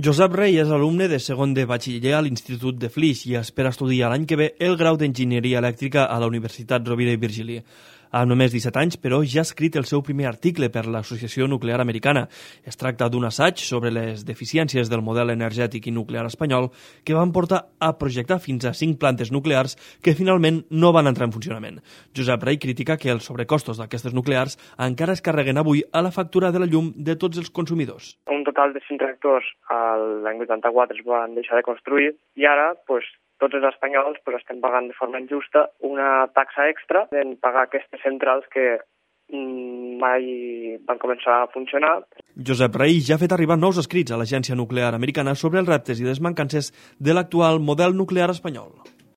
Josep Rey és alumne de segon de batxiller a l'Institut de Flix i espera estudiar l'any que ve el grau d'Enginyeria Elèctrica a la Universitat Rovira i Virgili. Amb només 17 anys, però, ja ha escrit el seu primer article per l'Associació Nuclear Americana. Es tracta d'un assaig sobre les deficiències del model energètic i nuclear espanyol que van portar a projectar fins a 5 plantes nuclears que finalment no van entrar en funcionament. Josep Rey critica que els sobrecostos d'aquestes nuclears encara es carreguen avui a la factura de la llum de tots els consumidors. Un total de 5 reactors l'any 84 es van deixar de construir i ara, tots els espanyols estem pagant de forma injusta una taxa extra en pagar aquestes centrals que mai van començar a funcionar. Josep Rey ja ha fet arribar nous escrits a l'Agència Nuclear Americana sobre els reptes i les mancances de l'actual model nuclear espanyol.